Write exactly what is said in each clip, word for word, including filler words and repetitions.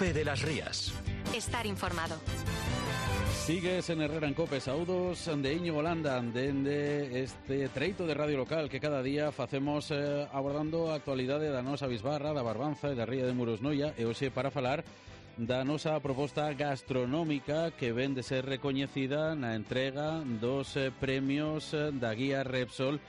Cope de las Rías. Estar informado. Sigues en Herrera en Cope, saúdos de Íñigo Landa, dende este treito de radio local que cada día facemos eh, abordando a actualidade da nosa bisbarra, da Barbanza e da Ría de Muros Noia, e hoxe para falar da nosa proposta gastronómica que ven de ser recoñecida na entrega dos eh, premios eh, da Guía Repsol,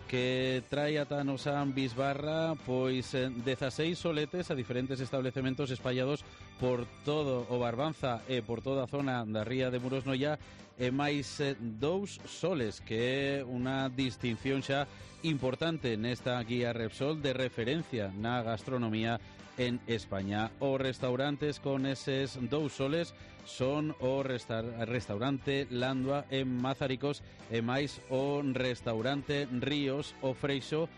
que trae ata a nosa bisbarra pois eh, dezaseis soletes a diferentes establecementos espallados por todo o Barbanza e por toda a zona da Ría de Muros Noia, e máis eh, dous soles, que é unha distinción xa importante nesta Guía Repsol de referencia na gastronomía en España. Os restaurantes con eses dous soles son o resta restaurante Landua en Mazaricos e máis o restaurante Ríos o Freixo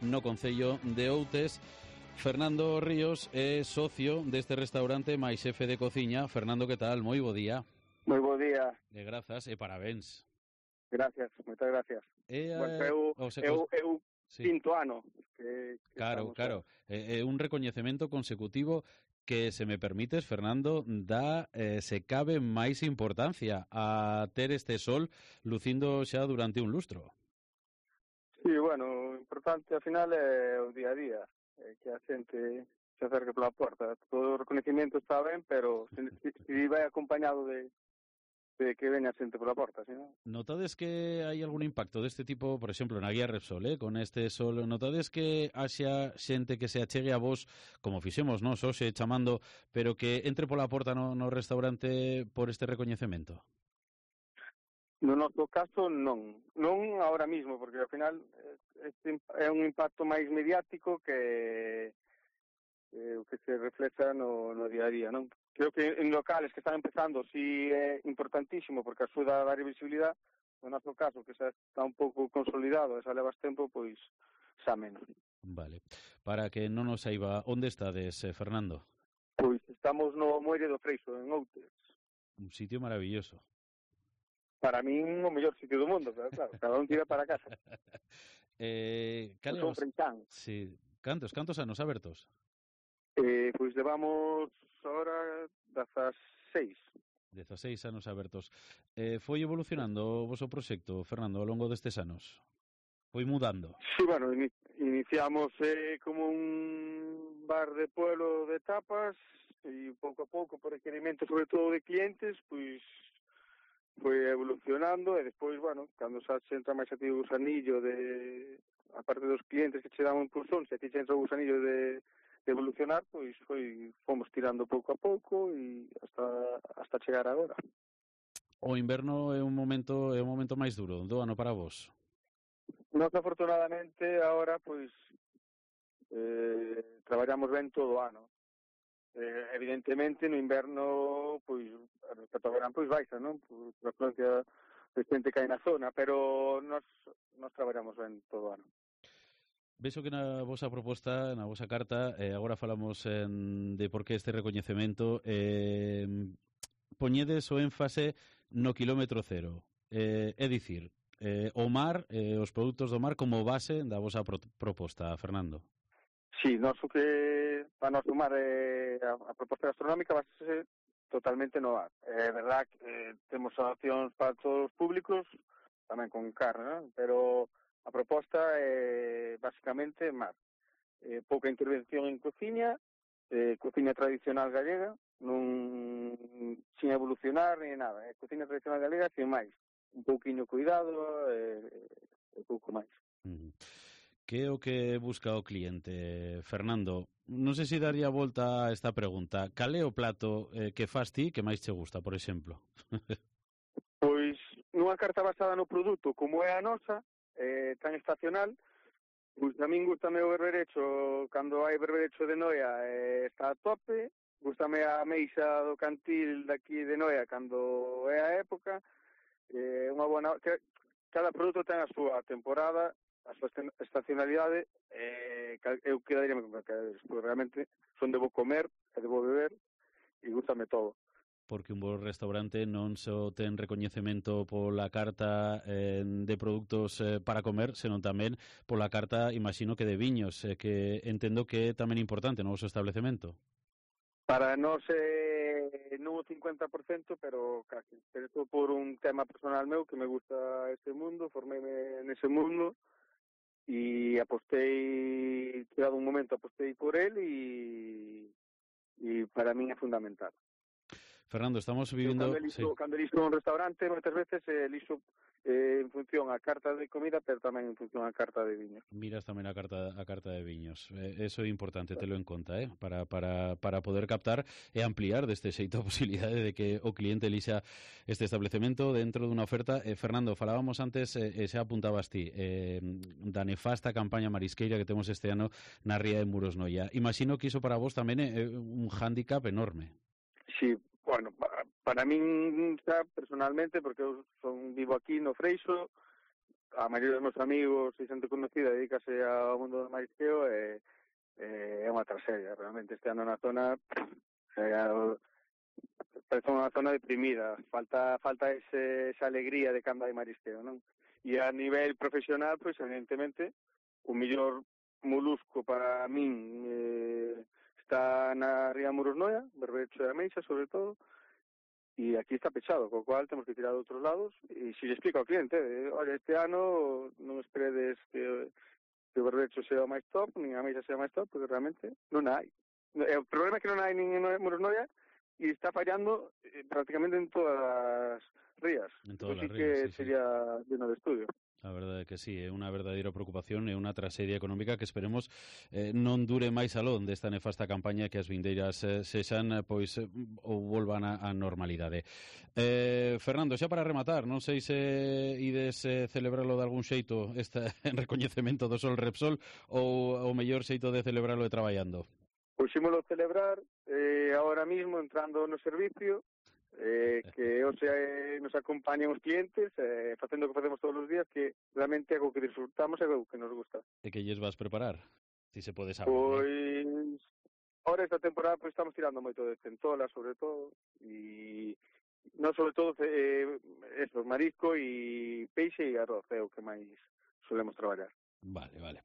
no concello de Outes. Fernando Ríos é socio deste restaurante máis xefe de cociña. Fernando, que tal? Moi bo día. Moi bo día. E grazas e parabéns. Gracias, moitas gracias. E, bueno, eu, os, eu, os... eu sí. quinto ano. Que, que claro, claro. É eh, un recoñecemento consecutivo que, se me permites, Fernando, dá, eh, se cabe máis importancia a ter este sol lucindo xa durante un lustro. Sí, bueno, o importante ao final é o día a día, é que a xente se acerque pola porta. Todo o reconhecimento está ben, pero se, se vai acompañado de de que veña xente pola porta, si non? Notades que hai algún impacto deste tipo, por exemplo, na Guía Repsol, eh, con este sol, notades que haxa xente que se achegue a vos, como fixemos, non, hoxe chamando, pero que entre pola porta no, no restaurante por este recoñecemento? No noso caso, non. Non ahora mismo, porque ao final este é un impacto máis mediático que eh, o que se reflexa no, no día a día, non? Creo que en locales que están empezando sí é importantísimo, porque axuda a dar visibilidade. No noso caso, que xa está un pouco consolidado e xa levas tempo, pois xa menos. Vale. Para que non nos saiba, onde estades, eh, Fernando? Pois estamos no Moire do Freixo, en Outes. Un sitio maravilloso. Para min o mellor sitio do mundo, pero claro, cada un tira para casa. eh, Pois son freitán. Sí. Cantos, cantos anos abertos? Eh, pois levamos ahora dezaseis. dezaseis anos abertos. Eh, foi evolucionando o voso proxecto, Fernando, ao longo destes anos? Foi mudando? Sí, bueno, in iniciamos eh, como un bar de pueblo de tapas e pouco a pouco, por requerimento sobre todo de clientes, pois foi evolucionando e despois, bueno, cando xa se entra máis a ti o gusanillo de, a parte dos clientes que che dan un impulsón, se a ti che entra o gusanillo de de evolucionar, pois foi fomos tirando pouco a pouco e hasta hasta chegar agora. O inverno é un momento é un momento máis duro do ano para vos. Nós, afortunadamente, agora pois eh, traballamos ben todo o ano. Eh, evidentemente no inverno pois respecto ao verán pois baixa, non? Por, por a afluencia de xente que hai na zona, pero nós nós traballamos ben todo o ano. Vexo que na vosa proposta, na vosa carta, eh, agora falamos en, de por que este recoñecemento, eh, poñedes o énfase no quilómetro cero. Eh, é dicir, eh, o mar, eh, os produtos do mar como base da vosa pro proposta, Fernando. Sí, nós o que para nós o mar é a, a proposta gastronómica vai ser totalmente no mar. É verdad que eh, temos opcións para todos os públicos, tamén con carne, ¿no? Pero a proposta é basicamente mar. Eh, pouca intervención en cociña, eh, cociña tradicional galega, non sin evolucionar ni nada. É cociña tradicional galega sin máis. Un pouquiño cuidado e eh, pouco máis. Uh-huh. Que é o que busca o cliente, Fernando? Non sei se daría volta a esta pregunta. Cal é o plato eh, que fas ti que máis che gusta, por exemplo? Pois nunha carta basada no produto como é a nosa, eh, tan estacional, pois a min gustame o berberecho, cando hai berberecho de Noia eh, está a tope, gustame a meixa do cantil daqui de Noia cando é a época, eh, unha bona, que, cada produto ten a súa temporada, a súa estacionalidade, eh, eu quedaríame con calquera, porque realmente son de bo comer, e de bo beber, e gustame todo. Porque un bo restaurante non só ten recoñecemento pola carta eh, de produtos eh, para comer, senón tamén pola carta, imagino que de viños, eh, que entendo que é tamén importante no vosso establecemento. Para nós é non o cincuenta por cento, pero casi. Pero isto por un tema personal meu, que me gusta este mundo, formeime nese mundo, e apostei, chegado un momento, apostei por él, e, e para min é fundamental. Fernando, estamos vivindo... Eu, cando eliso, sí. cando eliso un restaurante, moitas veces eliso eh, en función a carta de comida, pero tamén en función a carta de viños. Miras tamén a carta a carta de viños. Eh, eso é importante, telo en conta, eh? para, para, para poder captar e ampliar deste xeito a posibilidade de que o cliente elixa este establecemento dentro dunha oferta. Eh, Fernando, falábamos antes, eh, e xa apuntabas ti, eh, da nefasta campaña marisqueira que temos este ano na ría de Muros Noia. Imagino que iso para vos tamén é un hándicap enorme. Sí, bueno, para, para min xa personalmente, porque eu son vivo aquí no Freixo, a maioría dos meus amigos e xente conocida dedícase ao mundo do marisqueo, e eh, é unha tragedia, realmente este ano na zona eh, parece unha zona deprimida, falta falta ese, esa alegría de cando hai marisqueo, non? E a nivel profesional, pois evidentemente o mellor molusco para min eh, está na ría Muros Noia, berberecho de ameixa sobre todo, e aquí está pechado, co cual temos que tirar de outros lados, e se lle explica ao cliente, eh, olha, este ano non esperedes que, que o berberecho sea o máis top, nin a ameixa sea o máis top, porque realmente non hai. O problema é que non hai nin en Muros Noia, e está fallando eh, prácticamente en todas as rías. En todas as Así rías, que sí, sería lleno de estudio. A verdade é que sí, é unha verdadeira preocupación e unha traxedia económica que esperemos eh, non dure máis alón desta nefasta campaña, que as vindeiras eh, sexan pois eh, ou volvan a, a normalidade. Eh, Fernando, xa para rematar, non sei se ides eh, celebralo de algún xeito este recoñecemento do Sol Repsol, ou o mellor xeito de celebralo é traballando. Pois ímolo celebrar eh, ahora mismo entrando no servicio, eh, que hoxe eh, nos acompañan os clientes, eh, facendo o que facemos todos os días, que realmente é o que disfrutamos e o que nos gusta. E que lles vas preparar? Si se pode saber. Pois, eh? ahora esta temporada pois estamos tirando moito de centola, sobre todo, e non sobre todo eh, eso, marisco e peixe e arroz, é o que máis solemos traballar. Vale, vale.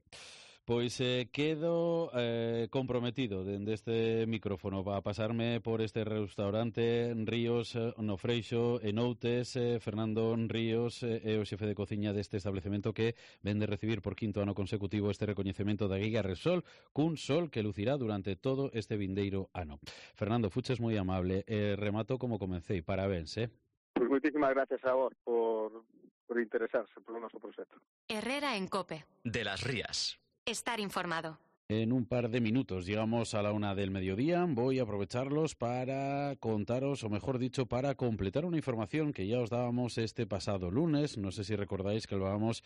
Pois eh, quedo eh, comprometido dende este micrófono para pasarme por este restaurante Ríos no Freixo en Outes. eh, Fernando Ríos é eh, o xefe de cociña deste establecemento que vende recibir por quinto ano consecutivo este recoñecemento da Guía Repsol, cun sol que lucirá durante todo este vindeiro ano. Fernando, fuches moi amable, eh, remato como comecei, parabéns, eh? Pois moitísimas gracias a vos por, por interesarse polo noso proxecto. Herrera en COPE. De las Rías. Estar informado. En un par de minutos llegamos a la una del mediodía. Voy a aprovecharlos para contaros, o mejor dicho, para completar una información que ya os dábamos este pasado lunes. No sé si recordáis que lo hablábamos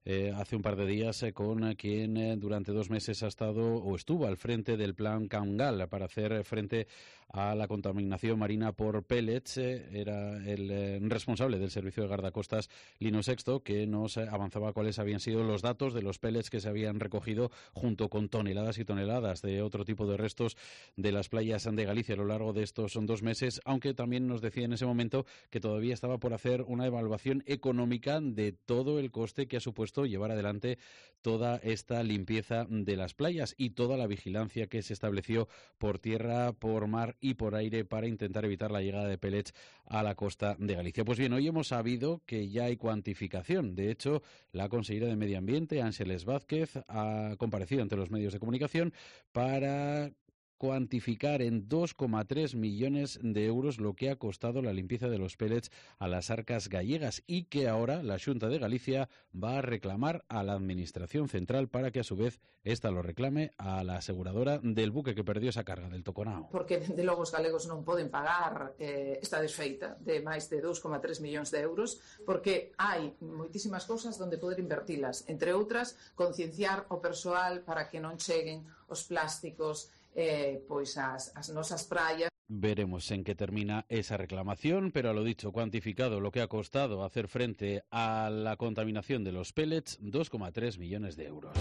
eh, hace un par de días eh, con quien eh, durante dos meses ha estado o estuvo al frente del plan Cangal para hacer frente a la contaminación marina por pellets. Eh, era el eh, responsable del servicio de guardacostas Lino Sexto, que nos eh, avanzaba cuáles habían sido los datos de los pellets que se habían recogido junto con toneladas y toneladas de otro tipo de restos de las playas de Galicia a lo largo de estos dos meses, aunque también nos decía en ese momento que todavía estaba por hacer una evaluación económica de todo el coste que ha supuesto llevar adelante toda esta limpieza de las playas y toda la vigilancia que se estableció por tierra, por mar y por aire para intentar evitar la llegada de pellets a la costa de Galicia. Pues bien, hoy hemos sabido que ya hay cuantificación. De hecho, la consejera de Medio Ambiente, Ángeles Vázquez, ha comparecido ante los medios de comunicación para cuantificar en dos coma tres millones de euros lo que ha costado la limpieza de los pellets a las arcas gallegas y que ahora la Xunta de Galicia va a reclamar a la Administración Central para que a su vez esta lo reclame a la aseguradora del buque que perdió esa carga del Toconao. Porque de logo os galegos non poden pagar eh, esta desfeita de máis de dos coma tres millóns de euros porque hai moitísimas cousas onde poder invertilas, entre outras concienciar o persoal para que non cheguen os plásticos Eh, pois as, as nosas praias. Veremos en qué termina esa reclamación, pero a lo dicho, cuantificado lo que ha costado hacer frente a la contaminación de los pellets, dos coma tres millones de euros.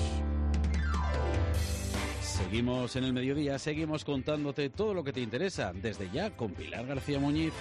Seguimos en el mediodía, seguimos contándote todo lo que te interesa, desde ya con Pilar García Muñiz.